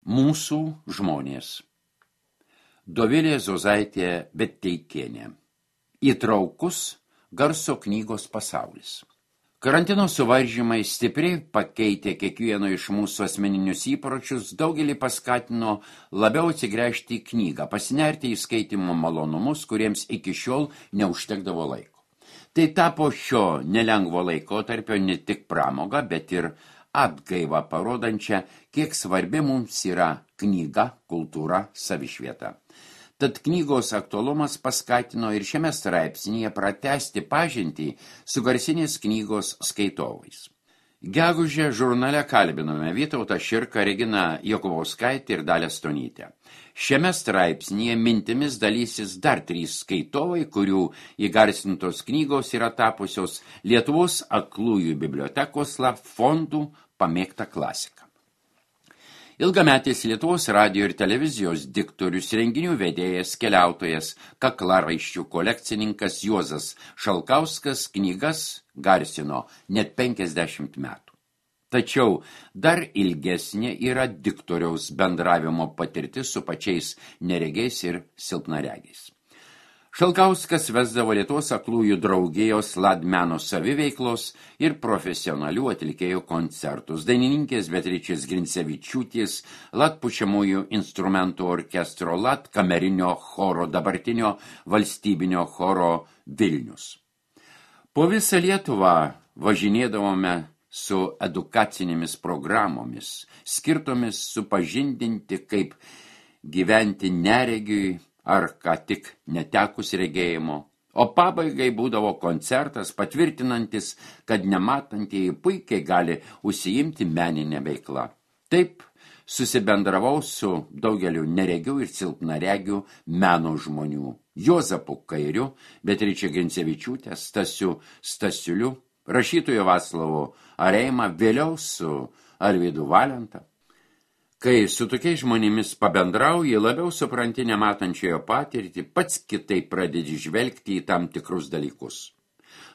Mūsų žmonės. Dovilė Zozaitė Betteikienė. Įtraukus garso knygos pasaulis. Karantino suvaržymai stipriai pakeitė kiekvieno iš mūsų asmeninius įpročius, daugelį paskatino labiau atsigręžti į knygą, pasinerti į skaitymo malonumus, kuriems iki šiol neužtekdavo laiko. Tai tapo šio nelengvo laikotarpio ne tik pramoga, bet ir atgaivą parodančią, kiek svarbi mums yra knyga, kultūra, savišvieta. Tad knygos aktualumas paskatino ir šiame straipsnyje pratęsti pažintį su garsinės knygos skaitovais. Gegužę žurnale kalbinome Vytautą Širką, Reginą Jokubauskaitę ir Dalią Stonytę. Šiame straipsnyje mintimis dalysis dar 3 skaitovai, kurių įgarsintos knygos yra tapusios Lietuvos aklųjų bibliotekos fondų pamėgta klasika. Ilgametis Lietuvos radijo ir televizijos diktorius, renginių vedėjas, keliautojas, kaklaraiščių kolekcininkas Juozas Šalkauskas knygas garsino net 50 metų. Tačiau dar ilgesnė yra diktoriaus bendravimo patirtis su pačiais neregiais ir silpnaregiais. Šalkauskas vesdavo Lietuvos aklųjų draugijos Ladmeno saviveiklos ir profesionalių atlikėjų koncertus. Dainininkės Beatričės Grincevičiūtės, Lat pučiamųjų instrumentų orkestro, Lat kamerinio choro, dabartinio valstybinio choro Vilnius. Po visą Lietuvą važinėdavome su edukacinėmis programomis, skirtomis supažindinti, kaip gyventi neregiui, ar ką tik netekus regėjimo, o pabaigai būdavo koncertas patvirtinantis, kad nematantieji puikiai gali užsiimti meninę veiklą. Taip susibendravau su daugeliu neregių ir silpnaregių meno žmonių. Juozapu Kairiu, Beatriče Grincevičiūte, Stasiu Stasiuliu, rašytoju Vaclavu Areima, vėliau su Arvydu Valenta. Kai su tokiais žmonėmis pabendrauji, labiau supranti nematančiojo patirtį, pats kitaip pradedi žvelgti į tam tikrus dalykus.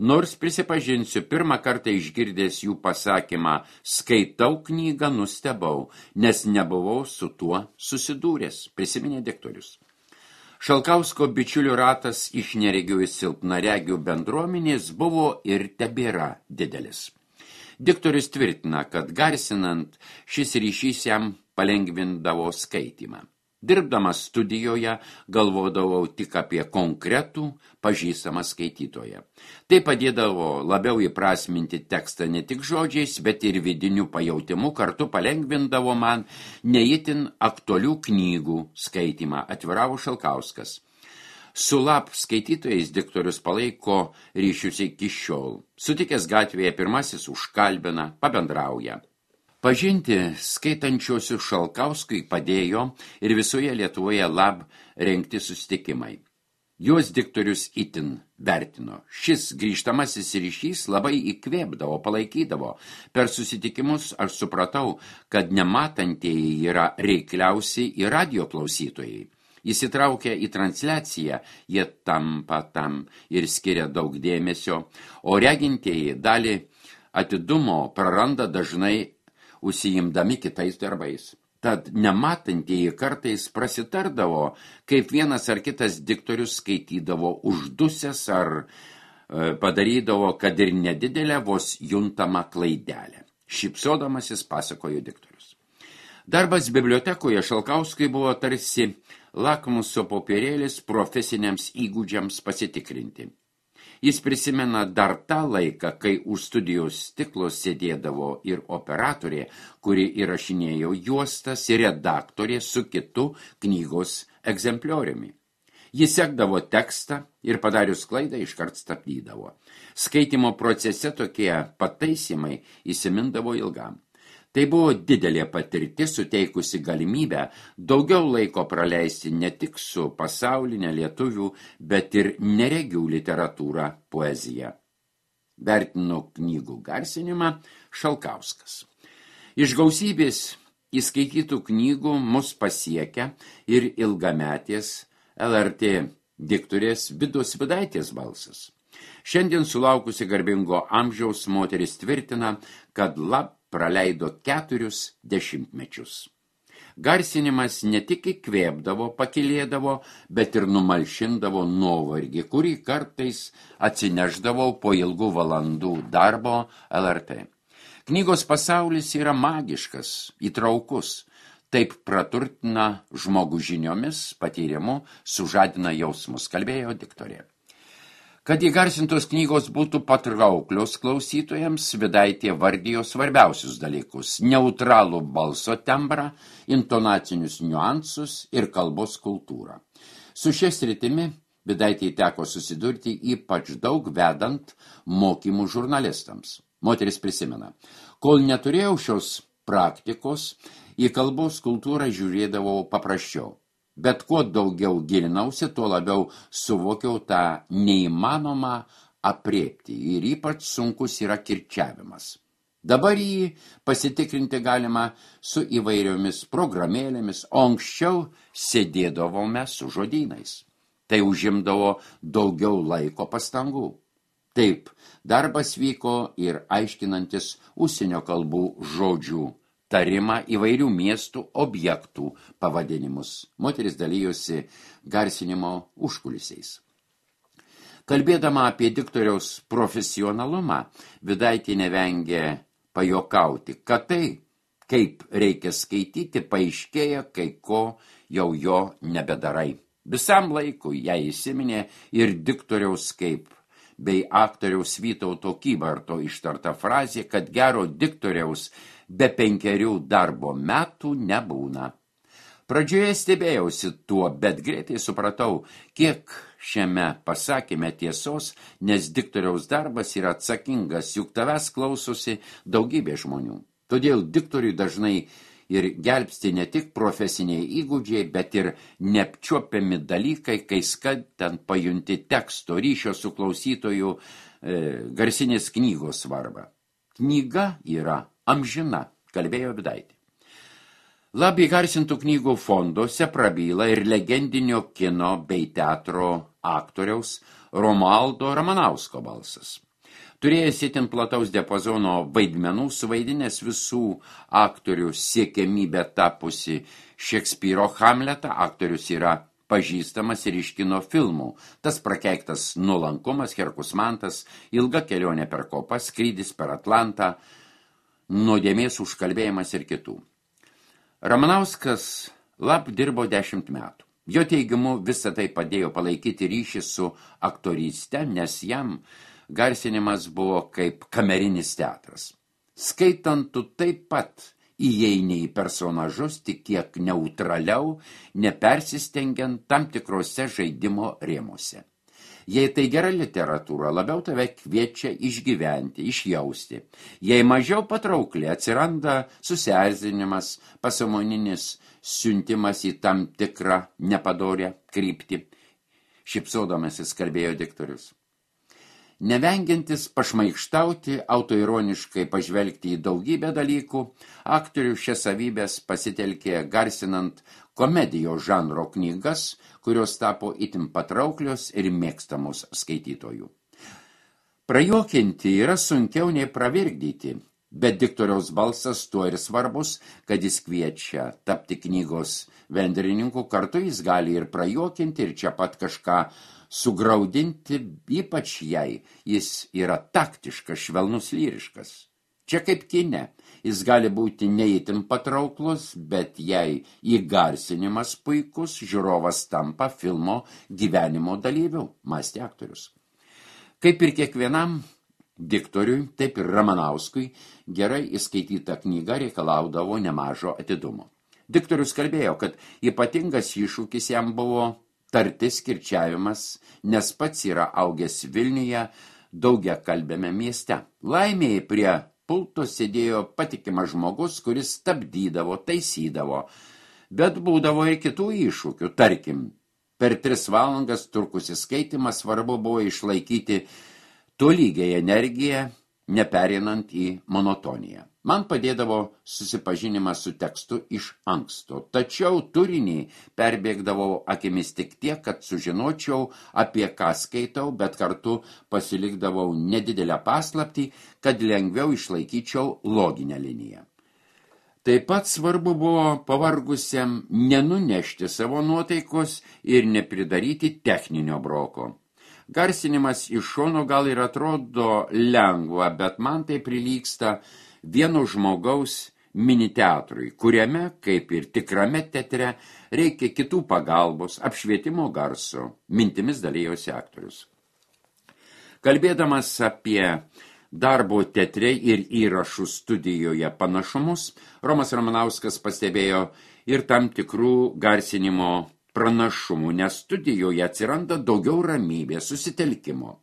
Nors prisipažinsiu, pirmą kartą išgirdęs jų pasakymą skaitau knygą, nustebau, nes nebuvau su tuo susidūręs, prisiminė diktorius. Šalkausko bičiulių ratas iš neregių ir silpnaregių bendruomenės buvo ir tebėra didelis. Diktorius tvirtina, kad garsinant šis ryšys jam palengvindavo skaitymą. Dirbdamas studijoje galvodavau tik apie konkretų pažįstamą skaitytoją. Tai padėdavo labiau įprasminti tekstą ne tik žodžiais, bet ir vidiniu pajautimu, kartu palengvindavo man neįtin aktualių knygų skaitymą, atviravo Šalkauskas. Su Lap skaitytojais diktorius palaiko ryšius iki šiol. Sutikęs gatvėje pirmasis užkalbina, pabendrauja. Pažinti skaitančiosius Šalkauskui padėjo ir visoje Lietuvoje Lab rengti susitikimai. Juos diktorius itin vertino. Šis grįžtamasis ryšys labai įkvėpdavo, palaikydavo. Per susitikimus aš supratau, kad nematantieji yra reikliausi ir radijo klausytojai. Įsitraukę į transliaciją, jie tampa tam ir skiria daug dėmesio, o regintieji dalį atidumo praranda dažnai užsiimdami kitais darbais. Tad nematantieji kartais prasitardavo, kaip vienas ar kitas diktorius skaitydavo uždusęs ar padarydavo, kad ir nedidelę vos juntamą klaidelę. Šypsodamasis pasakojo diktorius. Darbas bibliotekoje Šalkauskui buvo tarsi lakmuso popierėlis profesiniams įgūdžiams pasitikrinti. Jis prisimena dar tą laiką, kai už studijos stiklo sėdėdavo ir operatorė, kuri įrašinėjo juostas, ir redaktorė su kitu knygos egzemplioriumi. Jis sekdavo tekstą ir padarius klaidą iškart stabdydavo. Skaitimo procese tokie pataisymai įsimindavo ilgam. Tai buvo didelė patirtis, suteikusi galimybę daugiau laiko praleisti ne tik su pasaulinė lietuvių, bet ir neregių literatūra, poezija. Vertino knygų garsinimą Šalkauskas. Iš gausybės įskaitytų knygų mus pasiekia ir ilgametės LRT diktorės Vidos Vidaitės balsas. Šiandien sulaukusi garbingo amžiaus moteris tvirtina, kad Lab praleido 4 dešimtmečius. Garsinimas ne tik įkvėpdavo, pakilėdavo, bet ir numalšindavo nuovargį, kurį kartais atsineždavau po ilgų valandų darbo LRT. Knygos pasaulis yra magiškas, įtraukus. Taip praturtina žmogų žiniomis, patyrimu, sužadina jausmus, kalbėjo diktorė. Kad įgarsintos knygos būtų patrauklios klausytojams, Vidaitė vardijo svarbiausius dalykus – neutralų balso tembrą, intonacinius niuansus ir kalbos kultūrą. Su šia sritimi Vidaitei teko susidurti ypač daug vedant mokymų žurnalistams. Moteris prisimena, kol neturėjau šios praktikos, į kalbos kultūrą žiūrėdavau paprasčiau. Bet kuo daugiau gilinausi, tuo labiau suvokiau tą neįmanomą aprėpti ir ypač sunkus yra kirčiavimas. Dabar jį pasitikrinti galima su įvairiomis programėlėmis, o anksčiau sėdėdavome su žodynais. Tai užimdavo daugiau laiko pastangų. Taip, darbas vyko ir aiškinantis užsienio kalbų žodžių tarimą įvairių miestų objektų pavadinimus. Moteris dalyjosi garsinimo užkulisiais. Kalbėdama apie diktoriaus profesionalumą, Vidaitė nevengė pajokauti, kad tai, kaip reikia skaityti, paaiškėja, kai ko jau jo nebedarai. Visam laikui jai įsiminė ir diktoriaus kaip bei aktoriaus Vytauto Kybarto ištarta frazė, kad gero diktoriaus be 5 darbo metų nebūna. Pradžioje stebėjausi tuo, bet greitai supratau, kiek šiame pasakyme tiesos, nes diktoriaus darbas yra atsakingas, juk tavęs klausosi daugybė žmonių. Todėl diktoriui dažnai ir gelbsti ne tik profesiniai įgūdžiai, bet ir neapčiuopiami dalykai, kai skaitant pajunti teksto ryšio su klausytoju garsinės knygos svarbą. Knyga yra amžina, kalbėjo Vidaitė. Labai garsintų knygų fonduose prabyla ir legendinio kino bei teatro aktoriaus Romualdo Ramanausko balsas. Turėjęs itin plataus diapazono vaidmenų, suvaidinęs visų aktorių siekiamybę tapusi Šekspyro Hamletą, aktorius yra pažįstamas ir iš kino filmų. Tas prakeiktas nuolankumas, Herkus Mantas, ilga kelionė per kopas, skrydis per Atlantą, nuodėmės užkalbėjimas ir kitų. Ramanauskas dirbo 10 metų. Jo teigimu visą tai padėjo palaikyti ryšį su aktoryste, nes jam garsinimas buvo kaip kamerinis teatras. Skaitant, tu taip pat įeini į personažus, tik kiek neutraliau, nepersistengiant tam tikrose žaidimo rėmuose. Jei tai gera literatūra, labiau tave kviečia išgyventi, išjausti. Jei mažiau patraukli, atsiranda susierzinimas, pasąmoninis siuntimas į tam tikrą nepadorią kryptį. Šypsodamasis kalbėjo diktorius. Nevengiantis pašmaikštauti, autoironiškai pažvelgti į daugybę dalykų, aktorių šias savybės pasitelkė garsinant komedijos žanro knygas, kurios tapo itin patrauklios ir mėgstamos skaitytojų. Prajuokinti yra sunkiau nei pravirkdyti, bet diktoriaus balsas tuo ir svarbus, kad jis kviečia tapti knygos vendrininku, kartu jis gali ir prajuokinti ir čia pat kažką sugraudinti, ypač jei jis yra taktiškas, švelnus, lyriškas. Čia kaip kine, jis gali būti neįtin patrauklus, bet jei įgarsinimas puikus, žiūrovas tampa filmo gyvenimo dalyviu, mąstė aktorius. Kaip ir kiekvienam diktoriui, taip ir Ramanauskui, gerai įskaityta knyga reikalaudavo nemažo atidumo. Diktorius kalbėjo, kad ypatingas iššūkis jam buvo tartis kirčiavimas, nes pats yra augęs Vilniuje daugiakalbiame mieste. Laimėjai prie pulto sėdėjo patikimas žmogus, kuris stabdydavo, taisydavo, bet būdavo ir kitų iššūkių. Tarkim, per 3 valandas trukusis skaitymas svarbu buvo išlaikyti tolygiai energiją, neperinant į monotoniją. Man padėdavo susipažinimas su tekstu iš anksto, tačiau turinį perbėgdavau akimis tik tiek, kad sužinočiau, apie ką skaitau, bet kartu pasilikdavau nedidelę paslaptį, kad lengviau išlaikyčiau loginę liniją. Taip pat svarbu buvo pavargusiam nenunešti savo nuotaikos ir nepridaryti techninio broko. Garsinimas iš šono gal ir atrodo lengva, bet man tai prilygsta vieno žmogaus mini teatrui, kuriame, kaip ir tikrame teatre, reikia kitų pagalbos, apšvietimo garso, mintimis dalyjosi aktorius. Kalbėdamas apie darbo teatre ir įrašų studijoje panašumus, Romas Ramanauskas pastebėjo ir tam tikrų garsinimo pranašumų, nes studijoje atsiranda daugiau ramybės, susitelkimo.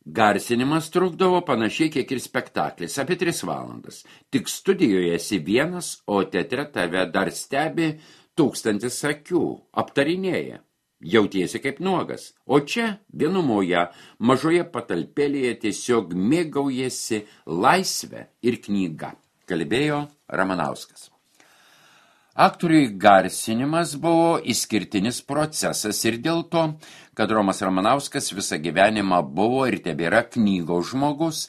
Garsinimas trukdavo panašiai kiek ir spektaklis, apie 3 valandas. Tik studijoje esi vienas, o teatre tave dar stebi 1000 akių, aptarinėja. Jautiesi kaip nuogas, o čia vienumoje, mažoje patalpėlėje tiesiog mėgaujasi laisvę ir knygą, kalbėjo Ramanauskas. Aktoriui garsinimas buvo išskirtinis procesas ir dėl to, kad Romas Ramanauskas visą gyvenimą buvo ir tebėra knygos žmogus,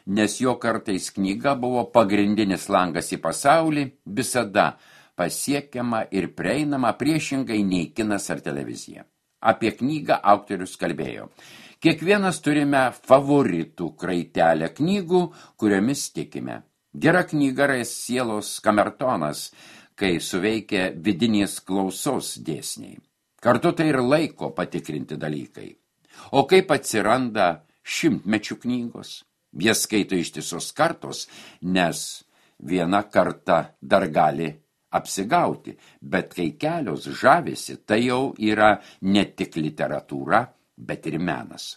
nes jo kartais knyga buvo pagrindinis langas į pasaulį, visada pasiekiama ir prieinama priešingai nei kinas ar televizija. Apie knygą autorius kalbėjo. Kiekvienas turime favoritų kraitelę knygų, kuriomis tikime. Gera knyga yra sielos kamertonas, kai suveikia vidinės klausos dėsniai. Kartu tai ir laiko patikrinti dalykai. O kaip atsiranda 100-mečių knygos? Jas skaito ištisos kartos, nes viena karta dar gali apsigauti, bet kai kelios žavisi, tai jau yra ne tik literatūra, bet ir menas.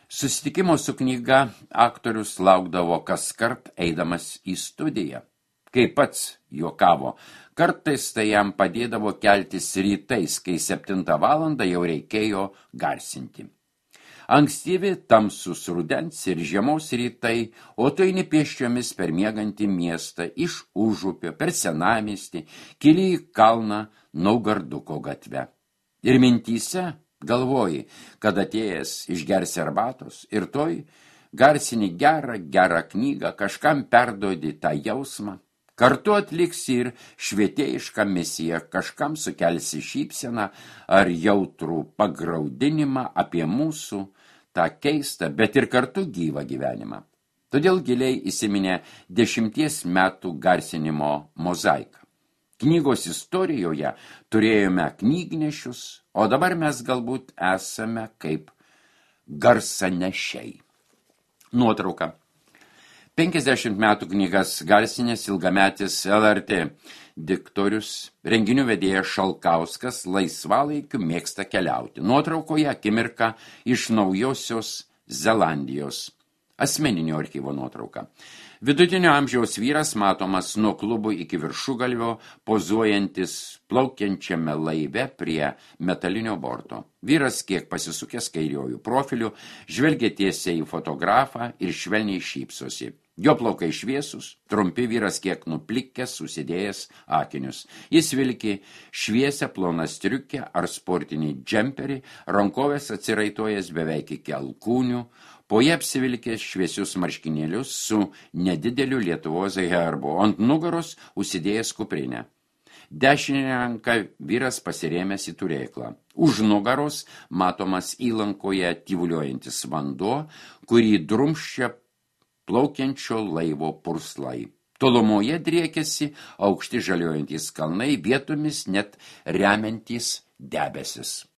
Susitikimo su knyga aktorius laukdavo kaskart eidamas į studiją. Kaip pats juokavo, kartais tai jam padėdavo keltis rytais, kai 7 valandą jau reikėjo garsinti. Ankstyvi tamsus rudens ir žiemos rytai, o tu eini pėsčiomis per miegantį miestą, iš Užupio, per senamiestį, kili į kalną Naugarduko gatve. Ir mintyse galvoji, kad atėjęs išgersi arbatos ir toj garsini gerą knygą, kažkam perduodi tą jausmą. Kartu atliksi ir švietėjišką misiją, kažkam sukelsi šypseną ar jautrų pagraudinimą apie mūsų tą keistą, bet ir kartu gyvą gyvenimą. Todėl giliai įsiminė 10 metų garsinimo mozaika. Knygos istorijoje turėjome knygnešius, o dabar mes galbūt esame kaip garsanešiai. Nuotrauka. 50 metų knygas garsinės ilgametis LRT diktorius, renginių vedėjas Šalkauskas laisvalaikiu mėgsta keliauti. Nuotraukoje akimirka iš Naujosios Zelandijos. Asmeninio archyvo nuotrauka. Vidutinio amžiaus vyras matomas nuo klubų iki viršugalvio, pozuojantis plaukiančiame laive prie metalinio borto. Vyras kiek pasisukęs kairiojų profilių, žvelgia tiesiai į fotografą ir švelniai šypsosi. Jo plaukai šviesus, trumpi, vyras kiek nuplikęs, susidėjęs akinius. Jis vilki šviesią ploną striukę ar sportinį džemperį, rankovės atsiraitojęs beveik iki alkūnių, po jie apsivilkęs šviesius marškinėlius su nedideliu Lietuvos herbu, ant nugaros užsidėjęs kuprinę. Dešinę ranką vyras pasirėmęs į turėklą. Už nugaros matomas įlankoje tyvuliuojantis vanduo, kurį drumsčia plaukiančio laivo purslai. Tolumoje driekiasi aukšti žaliuojantys kalnai, vietomis net remiantys debesis.